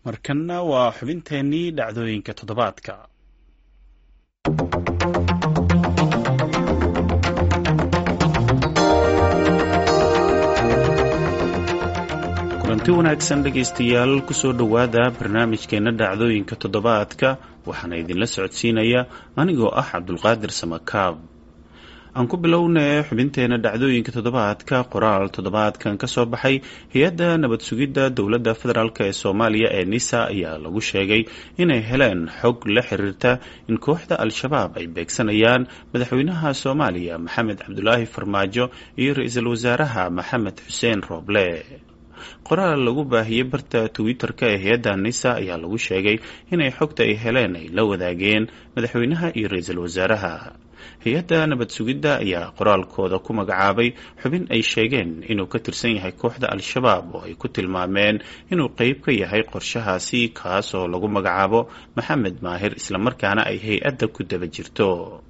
Markanna waa xubinteennii dhacdooyinka toddobaadka. Kulanti wanaagsan dhegaystayaal, kusoo dhowaada barnaamijkeenna dhacdooyinka toddobaadka. Waxaana idinla socodsiinaya anigoo ah Cabdulqaadir Samakaab. Aan ku bilownay xubinteena dhacdooyinka toddobaadka qoraal toddobaadkan ka soo baxay hay-adda nabad sugidda dowladda federaalk ee Soomaaliya ee NISA ayaa lagu sheegay inay heleen xog la xiriirta in kooxda Al-Shabaab ay beegsanayaan madaxweynaha Soomaaliya Maxamed Cabdulaahi Farmaajo iyo ra-iisul wasaaraha Maxamed Xuseen Rooble. Qoraal lagu baahiyey barta Twitter-ka ee hay-adda NISA ayaa lagu sheegay inay xogta ay heleen ay la wadaageen madaxweynaha iyo ra-iisul wasaaraha. Hay-adda nabad sugidda ayaa qoraalkooda ku magacaabay xubin ay sheegeen inuu ka tirsan yahay kooxda Al-Shabaab oo ay ku tilmaameen inuu qeyb ka yahay qorshahaasi, kaasoo lagu magacaabo Maxamed Maahir, islamarkaana ay hay-adda ku daba jirto.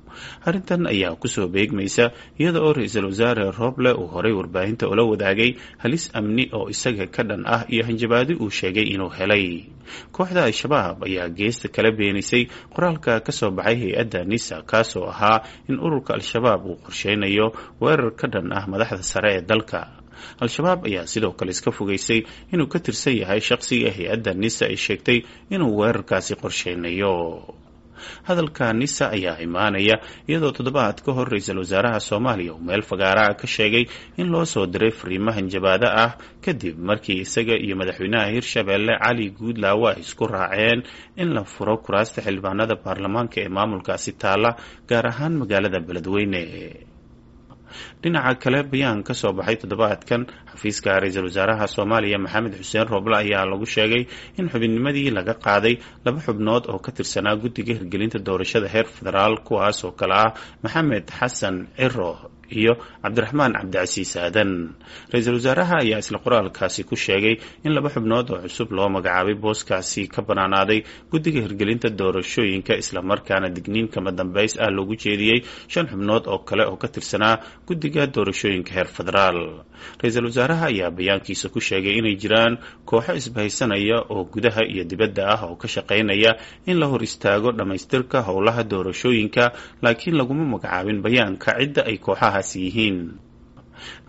Arrintan ayaa kusoo beegmaysa iyada oo ra-iisul wasaare Rooble uu horay warbaahinta ula wadaagay halis amni oo isaga ka dhan ah iyo hanjabaadi uu sheegay inuu helay. Kooxda Al-Shabaab ayaa geesta kala beenisay qoraalka ka soo baxay hay-adda NISA, kaasoo ahaa in ururka Al-Shabaab uu qorsheynayo weerar ka dhan ah madaxda sare ee dalka. Al-Shabaab ayaa sidoo kale iska fogeysay inuu ka tirsan yahay shaqsiga hay-adda NISA ay sheegtay inuu weerarkaasi qorsheynayo. Hadalka NISA ayaa imaanaya iyadoo toddobaad ka hor ra-iisul wasaaraha Soomaaliya uu meel fagaaraha ka sheegay in loo soo diray fariimo hanjabaado ah, kadib markii isaga iyo madaxweynaha Hirshabeelle Cali Guudlaawe ay isku raaceen in la furo kuraasta xildhibaanada baarlamaanka ee maamulkaasi taala, gaar ahaan magaalada Beledweyne. Dhinaca kale, bayaan ka soo baxay toddobaadkan xafiiska ra-iisul wasaaraha Soomaaliya Maxamed Xuseen Rooble ayaa lagu sheegay in xubinnimadii laga qaaday laba xubnood oo ka tirsanaa guddiga hirgelinta doorashada heer federaal, kuwaas oo kale ah Maxamed Xasan Ciro iyo Cabdiraxmaan Cabdicasiis Aadan. Ra-iisul wasaaraha ayaa isla qoraalkaasi ku sheegay in laba xubnood oo cusub loo magacaabay booskaasi ka banaanaaday guddiga hirgelinta doorashooyinka, islamarkaana digniin kama dambays ah loogu jeediyey shan xubnood oo kale oo ka tirsanaa guddiga doorashooyinka heer federaal. Ra-iisul wasaaraha ayaa bayaankiisa ku sheegay inay jiraan kooxo isbahaysanaya oo gudaha iyo dibadda ah oo ka shaqaynaya in la hor istaago dhammaystirka howlaha doorashooyinka, laakiin laguma magacaabin bayaanka cidda ay kooxaha yihiin.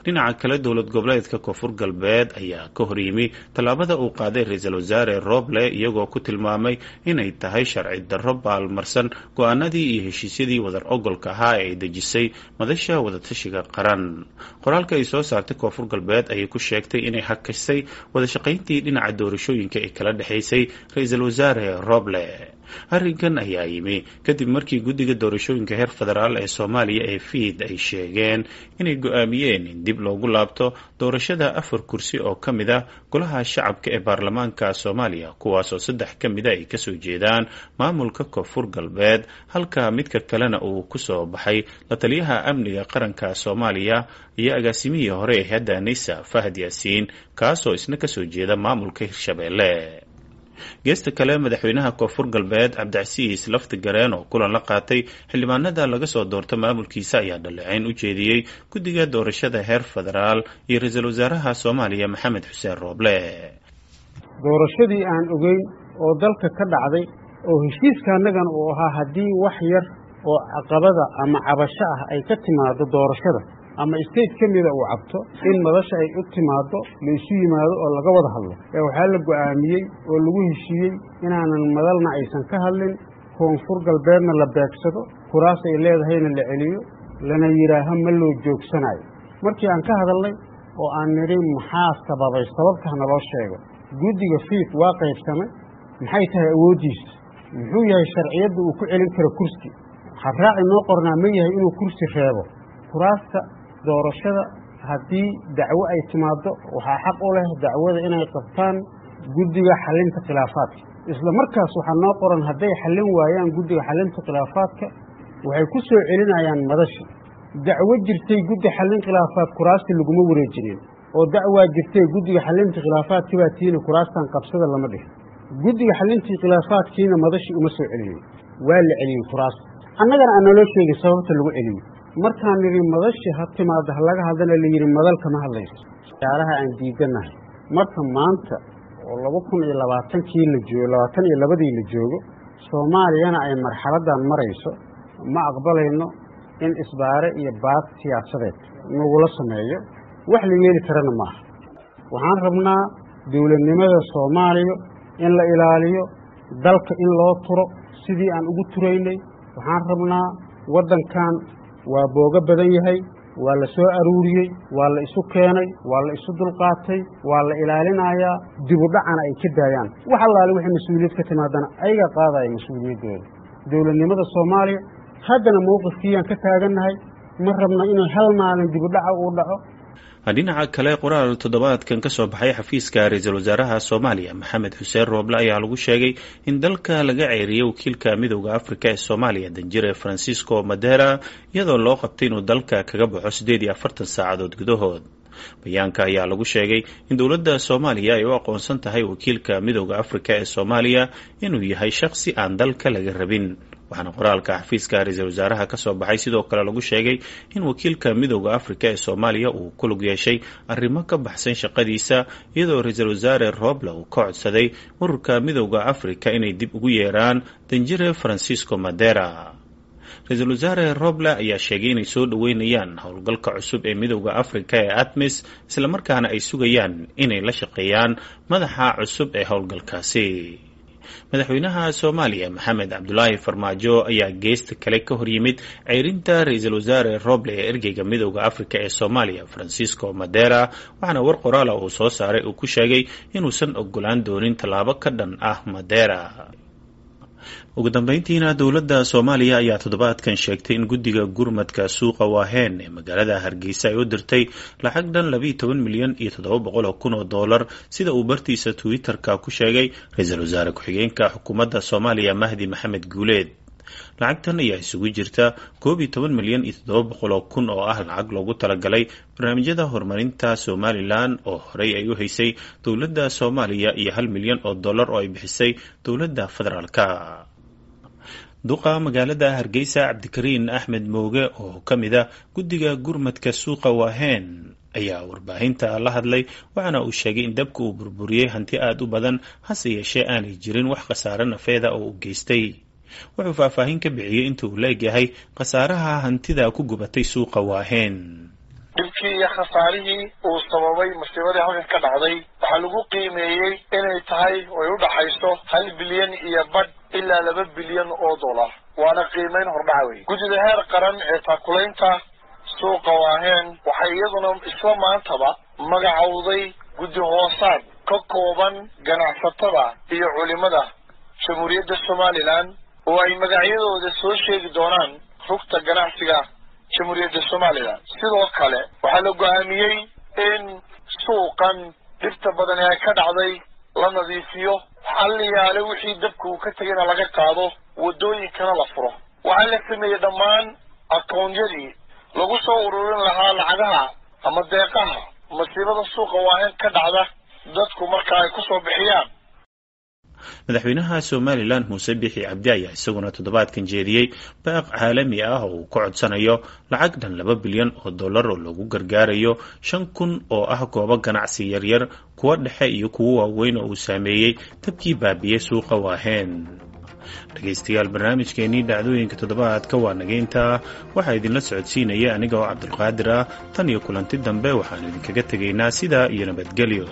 Dhinaca kale, dowlad goboleedka Koonfur Galbeed ayaa ka horyimi tallaabada uu qaaday ra-iisul wasaare Rooble, iyagoo ku tilmaamay inay tahay sharci darro baalmarsan go-aanadii iyo heshiisyadii wadar ogolka ahaa ee ay dejisay madasha wadatashiga qaran. Qoraalka ay soo saartay Koonfur Galbeed ayay ku sheegtay inay hakisay wadashaqayntii dhinaca doorashooyinka ee kala dhexaysay ra-iisul wasaare Rooble. Arrinkan ayaa yimi kadib markii guddiga doorashooyinka heer federaal ee Soomaaliya ee FID ay sheegeen inay go-aamiyeen in dib loogu laabto doorashada afar kursi oo ka mid ah golaha shacabka ee baarlamaanka Soomaaliya, kuwaasoo saddex ka mida ay kasoo jeedaan maamulka Koonfur Galbeed, halka midka kalena uu kusoo baxay la taliyaha amniga qaranka Soomaaliya iyo agaasimihii hore ee hadda NISA Fahad Yaasiin, kaasoo isna kasoo jeeda maamulka Hirshabeelle. Geesta kale, madaxweynaha Koonfur Galbeed Cabdicasiis Lafti Gareen oo kulan la qaatay xildhibaanada laga soo doorto maamulkiisa ayaa dhaleeceyn u jeediyey guddiga doorashada heer federaal iyo ra-iisul wasaaraha Soomaaliya Maxamed Xuseen Rooble. Doorashadii aan ogeyn oo dalka ka dhacday oo heshiiska annagan uu ahaa, haddii wax yar oo caqabada ama cabasho ah ay ka timaado doorashada ama state ka mida uu cabto, in madasha ay u timaado, la isu yimaado oo laga wada hadlo, ee waxaa la go'aamiyey oo lagu heshiiyey inaanan madalna aysan ka hadlin, Koonfur Galbeedna la beegsado, kuraas ay leedahayna la celiyo, lana yidhaaho ma loo joogsanayo. Markii aan ka hadalnay oo aan nidhi maxaa sababay, sababta naloo sheego, guddiga FIID waa qaybsamay. Maxay tahay awooddiisa? Muxuu yahay sharciyadda uu ku celin karo kursi? Habraaci noo qornaa ma yahay inuu kursi reebo? Kuraasta doorashada haddii dacwo ay timaaddo, waxaa xaq u leh dacwada inay qabtaan guddiga xalinta khilaafaadka. Isla markaas waxaa noo qoran, hadday xallin waayaan guddiga xalinta khilaafaadka, waxay ku soo celinayaan madashi. Dacwo jirtay guddi xallin khilaafaad kuraasti laguma wareejinin, oo dacwaa jirtay guddiga xalinta khilaafaadkii baa tiina kuraastan qabsada lama dhihin. Guddiga xalintii khilaafaadkiina madashi uma soo celiyey, waa la celiyey kuraasta, annagana aan naloo sheegin sababta lagu celiyey. Markaan nidhi madashi ha timaado ha laga hadlana, la yidhi madal kama hadlayso. Waxyaalaha aan diidanahay marka maanta oo 2020kii la joogo, 22dii la joogo, Soomaaliyana ay marxaladdan marayso, ma aqbalayno in isbaare iyo baad siyaasadeed nagula sameeyo. Wax la yeeli karana maaha. Waxaan rabnaa dowladnimada Soomaaliya in la ilaaliyo, dalka in loo turo sidii aan ugu turaynay. Waxaan rabnaa waddankan waa boogo badan yahay, waa la soo aruuriyey, waa la isu keenay, waa la isu dulqaatay, waa la ilaalinayaa. Dibu dhacana ay ka daayaan. Wax allaale wixii mas-uuliyad ka timaadana ayaga qaadaya mas-uuliyaddooda. Dowladnimada Soomaaliya haddana mowqifkiiyaan ka taagannahay. Ma rabno inay hal maalin dibu dhaca uu dhaco. Dhinaca kale, qoraal toddobaadkan ka soo baxay xafiiska ra-iisul wasaaraha Soomaaliya Maxamed Xuseen Rooble ayaa lagu sheegay in dalka laga ceeriyey wakiilka Midowda Afrika ee Soomaaliya, danjire Francisco Madera, iyadoo loo qabtay inuu dalka kaga baxo 48 saacadood gudahood. Bayaanka ayaa lagu sheegay in dowladda Soomaaliya ay u aqoonsan tahay wakiilka Midowda Afrika ee Soomaaliya inuu yahay shakhsi aan dalka laga rabin. Waxaana qoraalka xafiiska ra-iisul wasaaraha ka soo baxay sidoo kale lagu sheegay in wakiilka Midowda Afrika ee Soomaaliya uu ku lug yeeshay arrimo ka baxsan shaqadiisa, iyadoo ra-iisul wasaare Roble uu ka codsaday ururka Midowda Afrika inay dib ugu yeeraan danjire Francisco Madera. Ra-iisul wasaare Roble ayaa sheegay inay soo dhoweynayaan howlgalka cusub ee Midowda Afrika ee ATMIS, islamarkaana ay sugayaan inay la shaqeeyaan madaxa cusub ee howlgalkaasi. Madaxweynaha Soomaaliya Maxamed Cabdulaahi Farmaajo ayaa geesta kale ka horyimid ceyrinta ra-iisul wasaare Roble ee ergeyga Midowda Afrika ee Soomaaliya Francisco Madera, waxaana war qoraala uu soo saaray uu ku sheegay inuusan ogolaan doonin tallaabo ka dhan ah Madera. Ugu dambeyntiina, dowladda Soomaaliya ayaa toddobaadkan sheegtay in guddiga gurmadka suuqa Waaheen ee magaalada Hargeysa ay u dirtay lacag dhan 12,700,000 oo dollar, sida uu bartiisa Twitter-ka ku sheegay ra-iisul wasaare ku-xigeenka xukuumadda Soomaaliya Mahdi Maxamed Guuleed. Lacagtan ayaa isugu jirta 11,700,000 oo ah lacag loogu talagalay barnaamijyada horumarinta Somalilan oo horey ay u haysay dowladda Soomaaliya iyo 1 milyan oo dollar oo ay bixisay dowladda federaalka. Duqa magaalada Hargeysa Cabdikariin Axmed Mooge oo ka mid ah guddiga gurmadka suuqa Waaheen ayaa warbaahinta la hadlay, waxaana uu sheegay in dabka uu burburiyey hanti aada u badan, hase yeeshee aanay jirin wax khasaare nafeeda oo uu geystay. Wuxuu faahfaahin ka bixiyey inta uu leegyahay khasaaraha hantida ku gubatay suuqa Waaheen. Dhibkii iyo khasaarihii uu sababay masiibadii halkan ka dhacday waxaa lagu qiimeeyey inay tahay oy u dhaxayso 1.5 bilyan ilaa 2 bilyan oo dollar, waana qiimeyn hordhaca wey. Guddida heer qaran ee taakulaynta suuqa Waaheen waxay iyaduna isla maantaba magacowday guddi hoosaad ka kooban ganacsatada iyo culimada Jamhuuriyadda Somalilan, oo ay magacyadooda soo sheegi doonaan rugta ganacsiga Jamhuuriyadda Somalilan. Sidoo kale waxaa la go'aamiyey in suuqan dhibta badan ee ka dhacday la nadiifiyo, xalliyaale wixii dabka uu ka tegayna laga qaado, waddooyinkana la furo. Waxaa la sameeyey dhammaan akoontiyadii lagu soo ururin lahaa lacagaha ama deeqaha masiibada suuqa Waaheen ka dhacda dadku marka ay ku soo bixiyaan. Madaxweynaha Somalilan Muuse Bixi Cabdi ayaa isaguna toddobaadkan jeediyey baaq caalami ah oo uu ka codsanayo lacag dhan 2 bilyan oo dollar oo lagu gargaarayo 5000 oo ah goobo ganacsi yaryar, kuwa dhexe iyo kuwo waaweyn oo uu saameeyey dabkii baabiyey suuqa Waaheen. Dhegaystayaal, barnaamijkeenii dhacdooyinka toddobaadka waa nageyntaa. Waxaa idinla socodsiinaya aniga oo Cabdulqaadir ah. Tan iyo kulanti dambe, waxaanu idinkaga tegaynaa sidaa iyo nabadgelyo.